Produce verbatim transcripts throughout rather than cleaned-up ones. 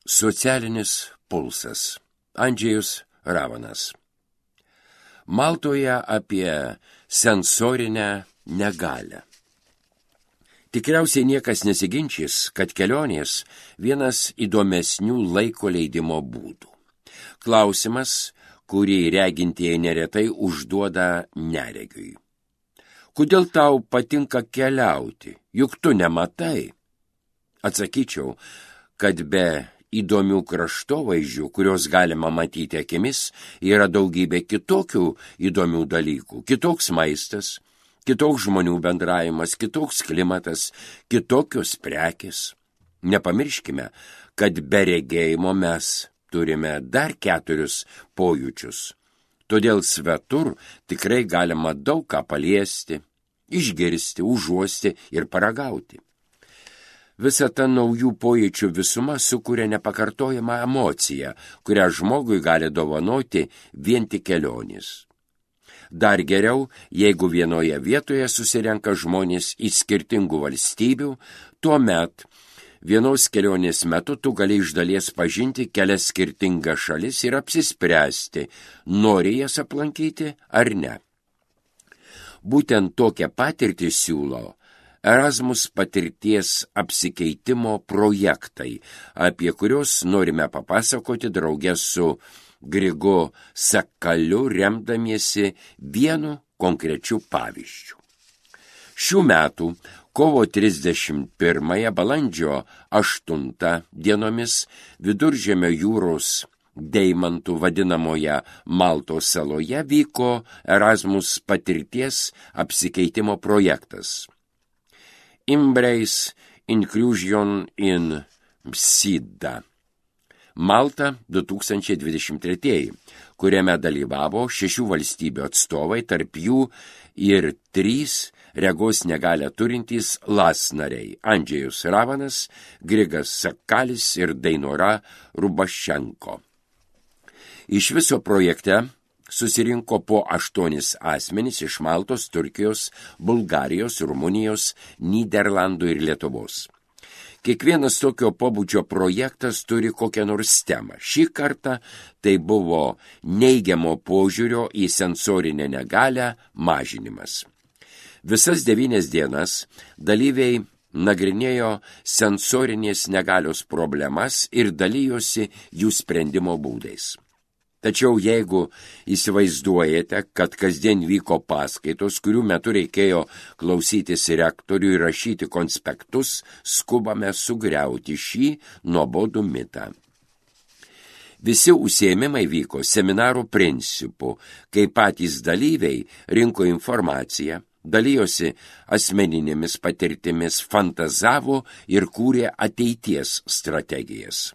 Socialinis pulsas. Andžejus Ravanas. Maltoje apie sensorinę negalią. Tikriausiai niekas nesiginčys, kad kelionės vienas įdomesnių laiko leidimo būdų. Klausimas, kurį regintieji neretai užduoda neregiui. Kodėl tau patinka keliauti, juk tu nematai? Atsakyčiau, kad be įdomių kraštovaizdžių, kurios galima matyti akimis, yra daugybė kitokių įdomių dalykų. Kitoks maistas, kitoks žmonių bendravimas, kitoks klimatas, kitokios prekės. Nepamirškime, kad be regėjimo mes turime dar keturis pojūčius. Todėl svetur tikrai galima daug ką paliesti, išgirsti, užuosti ir paragauti. Visa ta naujų pojūčių visuma sukuria nepakartojamą emociją, kurią žmogui gali dovanoti vien tik kelionės. Dar geriau, jeigu vienoje vietoje susirenka žmonės iš skirtingų valstybių, tuomet vienos kelionės metu tu gali iš dalies pažinti kelias skirtingas šalis ir apsispręsti, nori jas aplankyti ar ne. Būtent tokią patirtį siūlo Erasmus patirties apsikeitimo projektai, apie kuriuos norime papasakoti drauge su Grigu Sakaliu, remdamiesi vienu konkrečiu pavyzdžiu. Šių metų kovo trisdešimt pirmąją balandžio aštuntą dienomis Viduržemio jūros deimantų vadinamoje Maltos saloje vyko Erasmus patirties apsikeitimo projektas. Embrace Inclusion in Sida. Malta du tūkstančiai dvidešimt treji, kuriame dalyvavo šešių valstybių atstovai, tarp jų ir trys regos negalią turintys las nariai – Andžejus Ravanas, Grigas Sakalis ir Dainora Rubašenko. Iš viso projekte susirinko po aštuonis asmenis iš Maltos, Turkijos, Bulgarijos, Rumunijos, Nyderlandų ir Lietuvos. Kiekvienas tokio pobūdžio projektas turi kokią nors temą. Šį kartą tai buvo neigiamo požiūrio į sensorinę negalią mažinimas. Visas devynias dienas dalyviai nagrinėjo sensorinės negalios problemas ir dalijosi jų sprendimo būdais. Tačiau jeigu įsivaizduojate, kad kasdien vyko paskaitos, kurių metu reikėjo klausytis rektorių ir rašyti konspektus, skubame sugriauti šį nuobodų mitą. Visi užsiėmimai vyko seminarų principu, kai patys dalyviai rinko informaciją, dalijosi asmeninėmis patirtimis, fantazavo ir kūrė ateities strategijas.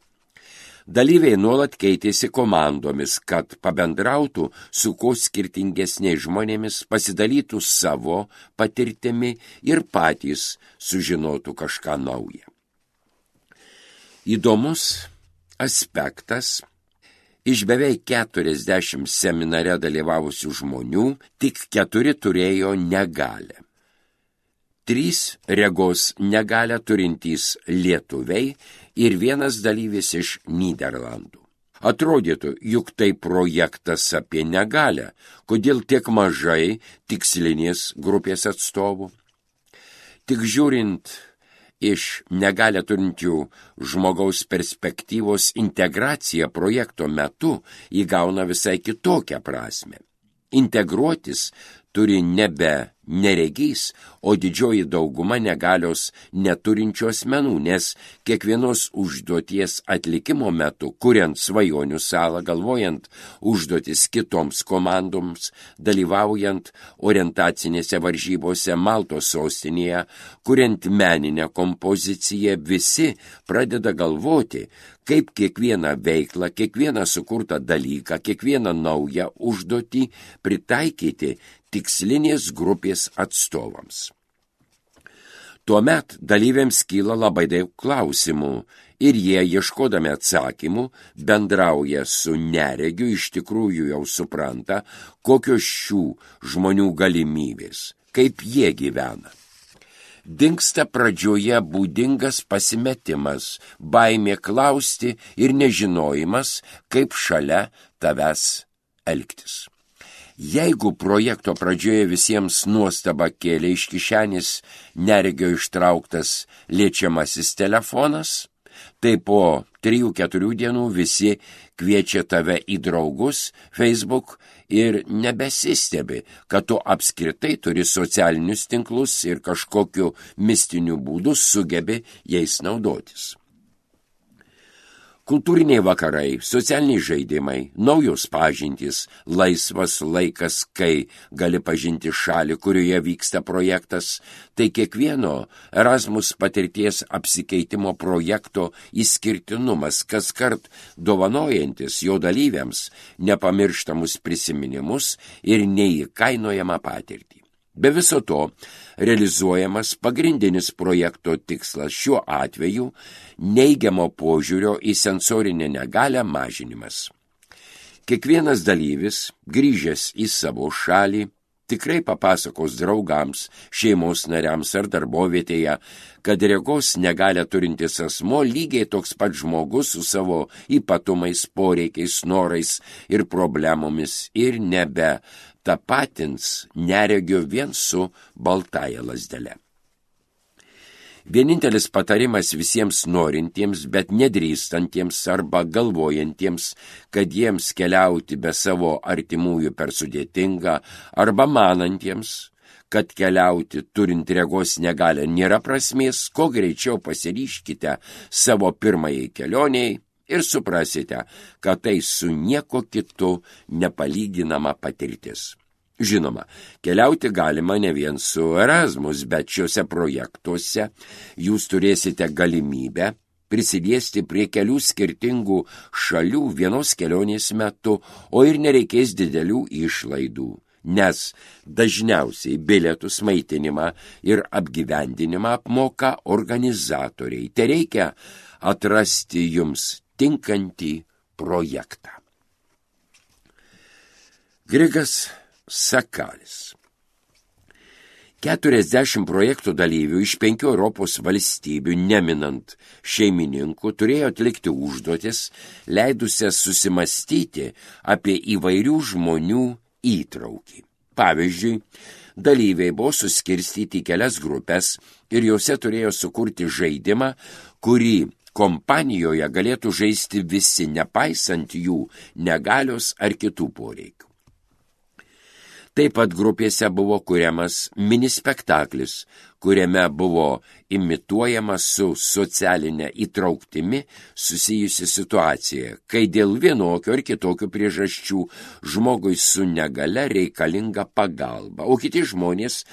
Dalyviai nuolat keitėsi komandomis, kad pabendrautų su kuo skirtingesniais žmonėmis, pasidalytų savo patirtimi ir patys sužinotų kažką naują. Įdomus aspektas – iš beveik keturiasdešimt seminare dalyvavusių žmonių tik keturi turėjo negalią. Trys regos negalią turintys lietuviai ir vienas dalyvis iš Nyderlandų. Atrodytų, juk tai projektas apie negalią, kodėl tiek mažai tikslinės grupės atstovų. Tik žiūrint iš negalią turinčių žmogaus perspektyvos, integracija projekto metu įgauna visai kitokią prasmę. Integruotis turi nebe neregys, o didžioji dauguma negalios neturinčių asmenų, nes kiekvienos užduoties atlikimo metu, kuriant svajonių salą, galvojant užduotis kitoms komandoms, dalyvaujant orientacinėse varžybose Maltos sostinėje, kuriant meninę kompoziciją, visi pradeda galvoti, kaip kiekvieną veiklą, kiekvieną sukurtą dalyką, kiekvieną naują užduotį pritaikyti tikslinės grupės atstovams. Tuomet dalyviams kyla labai daug klausimų ir jie, ieškodami atsakymų, bendrauja su neregiu, iš tikrųjų jau supranta, kokios šių žmonių galimybės, kaip jie gyvena. Dingsta pradžioje būdingas pasimetimas, baimė klausti ir nežinojimas, kaip šalia tavęs elgtis. Jeigu projekto pradžioje visiems nuostabą kėlė iš kišenės neregio ištrauktas liečiamasis telefonas, tai po trijų keturių dienų visi kviečia tave į draugus Facebook ir nebesistebi, kad tu apskritai turi socialinius tinklus ir kažkokiu mistiniu būdu sugebi jais naudotis. Kultūriniai vakarai, socialiniai žaidimai, naujos pažintys, laisvas laikas, kai gali pažinti šalį, kurioje vyksta projektas, tai kiekvieno Erasmus patirties apsikeitimo projekto išskirtinumas, kaskart dovanojantis jo dalyviams nepamirštamus prisiminimus ir neįkainojamą patirtį. Be viso to, realizuojamas pagrindinis projekto tikslas šiuo atveju neigiamo požiūrio į sensorinę negalią mažinimas. Kiekvienas dalyvis, grįžęs į savo šalį, tikrai papasakos draugams, šeimos nariams ar darbovietėje, kad regos negalią turintis asmo lygiai toks pat žmogus su savo ypatumais, poreikiais, norais ir problemomis ir nebe tapatins neregio vien su baltąja lazdele. Vienintelis patarimas visiems norintiems, bet nedrįstantiems arba galvojantiems, kad jiems keliauti be savo artimųjų per sudėtinga, arba manantiems, kad keliauti turint regos negalią nėra prasmės, kuo greičiau pasiryžkite savo pirmajai kelioniai ir suprasite, kad tai su nieko kitu nepalyginama patirtis. Žinoma, keliauti galima ne vien su Erasmus, bet šiuose projektuose jūs turėsite galimybę prisiliesti prie kelių skirtingų šalių vienos kelionės metu, o ir nereikės didelių išlaidų, nes dažniausiai bilietus, maitinimą ir apgyvendinimą apmoka organizatoriai. Tai reikia atrasti jums tinkantį projektą. Grigas Sakalis. Keturiasdešimt projektų dalyvių iš penkių Europos valstybių, neminant šeimininkų, turėjo atlikti užduotis, leidusias susimastyti apie įvairių žmonių įtraukį. Pavyzdžiui, dalyviai buvo suskirstyti į kelias grupės ir jose turėjo sukurti žaidimą, kurį kompanijoje galėtų žaisti visi, nepaisant jų negalios ar kitų poreikių. Taip pat grupėse buvo kuriamas minispektaklis, kuriame buvo imituojama su socialinė įtrauktimi susijusi situacija, kai dėl vienokio ar kitokio priežasčių žmogui su negale reikalinga pagalba, o kiti žmonės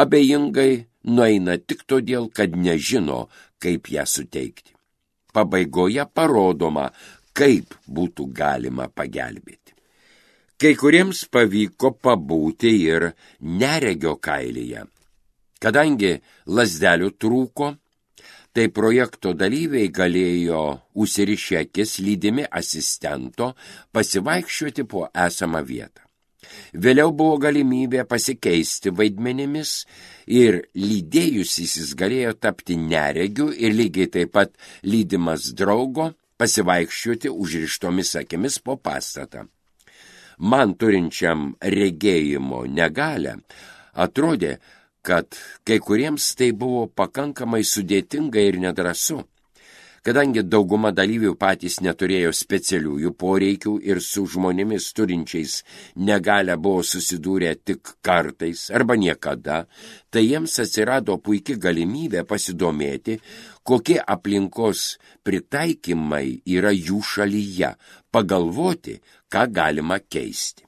abejingai nueina tik todėl, kad nežino, kaip ją suteikti. Pabaigoje parodoma, kaip būtų galima pagelbėti. Kai kuriems pavyko pabūti ir neregio kailyje. Kadangi lazdelių trūko, tai projekto dalyviai galėjo užsirišę akis lydimi asistento pasivaikščioti po esamą vietą. Vėliau buvo galimybė pasikeisti vaidmenimis ir lydėjusysis galėjo tapti neregiu ir lygiai taip pat lydimas draugo pasivaikščioti užrištomis akimis po pastatą. Man turinčiam regėjimo negalią atrodė, kad kai kuriems tai buvo pakankamai sudėtinga ir nedrąsu, kadangi dauguma dalyvių patys neturėjo specialiųjų poreikių ir su žmonėmis turinčiais negalią buvo susidūrę tik kartais arba niekada, tai jiems atsirado puiki galimybė pasidomėti, kokie aplinkos pritaikymai yra jų šalyje, pagalvoti, ką galima keisti.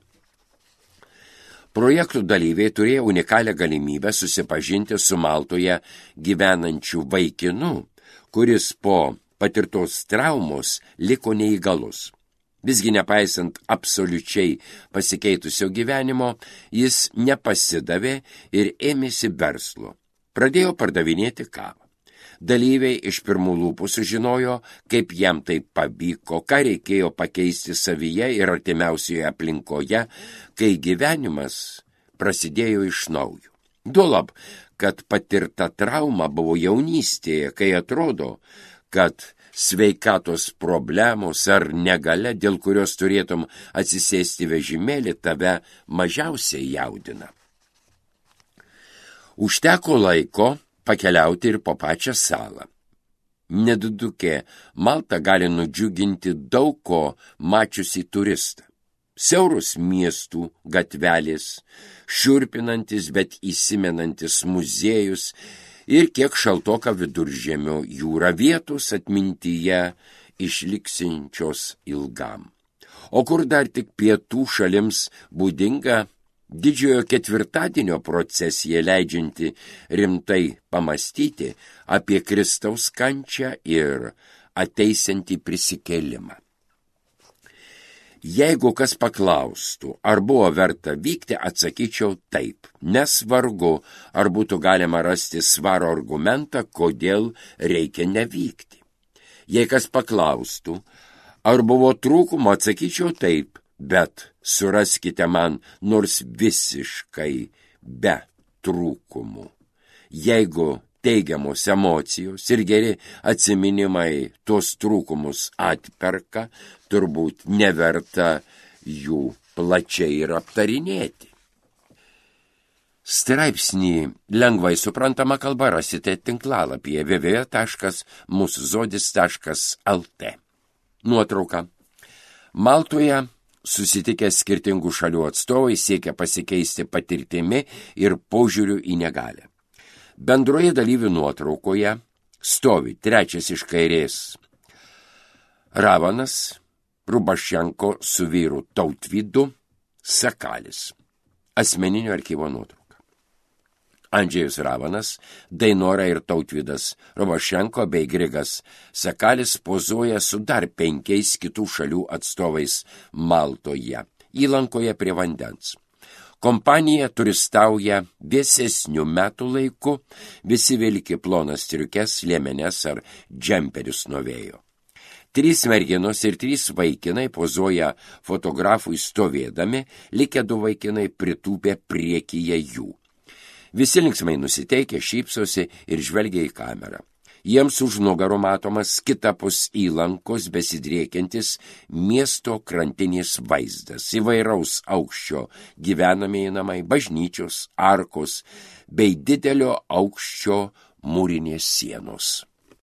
Projektų dalyviai turėjo unikalią galimybę susipažinti su Maltoje gyvenančiu vaikinu, kuris po patirtos traumos liko neįgalus. Visgi nepaisant absoliučiai pasikeitusio gyvenimo, jis nepasidavė ir ėmėsi verslo. Pradėjo pardavinėti kavą. Dalyviai iš pirmų lūpų sužinojo, kaip jam tai pavyko, ką reikėjo pakeisti savyje ir artimiausioje aplinkoje, kai gyvenimas prasidėjo iš naujo. Duolab, kad patirta trauma buvo jaunystėje, kai atrodo, kad sveikatos problemos ar negalia, dėl kurios turėtum atsisėsti vežimėlį, tave mažiausiai jaudina. Užteko laiko pakeliauti ir po pačią salą. Nedidukė Malta gali nudžiuginti daug ko mačiusi turistą. Siaurus miestų gatvelės, šiurpinantis, bet įsimenantis muziejus ir kiek šaltoka Viduržemio jūra, vietos atmintyje išliksinčios ilgam. O kur dar tik pietų šalims būdinga didžiojo ketvirtadienio procesija, leidžianti rimtai pamastyti apie Kristaus kančią ir ateisiantį prisikėlimą. Jeigu kas paklaustų, ar buvo verta vykti, atsakyčiau taip, nes vargu, ar būtų galima rasti svaro argumentą, kodėl reikia nevykti. Jei kas paklaustų, ar buvo trūkumo, atsakyčiau taip, bet suraskite man nors visiškai be trūkumų. Jeigu teigiamos emocijos ir geri atsiminimai tuos trūkumus atperka, turbūt neverta jų plačiai ir aptarinėti. Straipsnį lengvai suprantama kalba rasite tinklalapyje w w w taškas mūsų žodis taškas l t. Nuotrauka. Maltoje susitikę skirtingų šalių atstovai siekia pasikeisti patirtimi ir požiūriu į negalią. Bendroje dalyvių nuotraukoje stovi trečias iš kairės Ravanas, Rubašenko su vyru Tautvydu, Sakalis. Asmeninio archyvo nuotrauka. Andžejus Ravanas, Dainora ir Tautvydas Rubašenko bei Grigas Sakalis pozuoja su dar penkiais kitų šalių atstovais Maltoje, įlankoje prie vandens. Kompanija turistauja vėsesnių metų laiku, visi vilki plonas striukes, liemenes ar džemperius nuo vėjo. Trys merginos ir trys vaikinai pozuoja fotografui stovėdami, likę du vaikinai pritūpė priekyje jų. Visi linksmai nusiteikę, šypsosi ir žvelgia į kamerą. Jiems už nugarų matomas kitapus įlankos besidriekiantis miesto krantinės vaizdas, įvairaus aukščio gyvenamieji namai, bažnyčios, arkos bei didelio aukščio mūrinės sienos.